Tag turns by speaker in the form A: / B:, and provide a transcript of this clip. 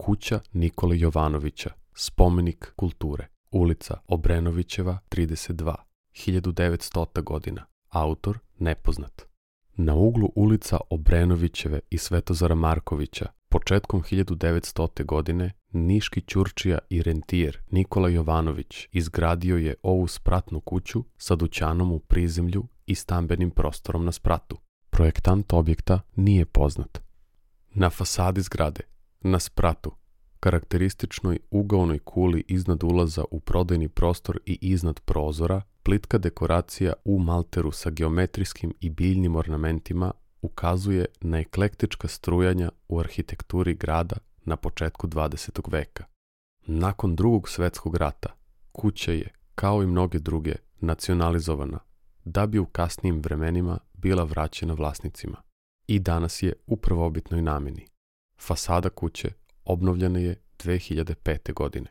A: Kuća Nikole Jovanovića, spomenik kulture. Ulica Obrenovićeva, 32, 1900. godina. Autor nepoznat. Na uglu ulica Obrenovićeve i Svetozara Markovića, početkom 1900. godine, niški ćurčija i rentijer Nikola Jovanović izgradio je ovu spratnu kuću sa dućanom u prizemlju i stambenim prostorom na spratu. Projektant objekta nije poznat. Na fasadi zgrade, na spratu, karakterističnoj ugaonoj kuli iznad ulaza u prodajni prostor i iznad prozora, plitka dekoracija u malteru sa geometrijskim i biljnim ornamentima ukazuje na eklektička strujanja u arhitekturi grada na početku 20. veka. Nakon Drugog svjetskog rata, kuća je, kao i mnoge druge, nacionalizovana, da bi u kasnijim vremenima bila vraćena vlasnicima. I danas je u prvobitnoj namjeni. Fasada kuće obnovljena je 2005. godine.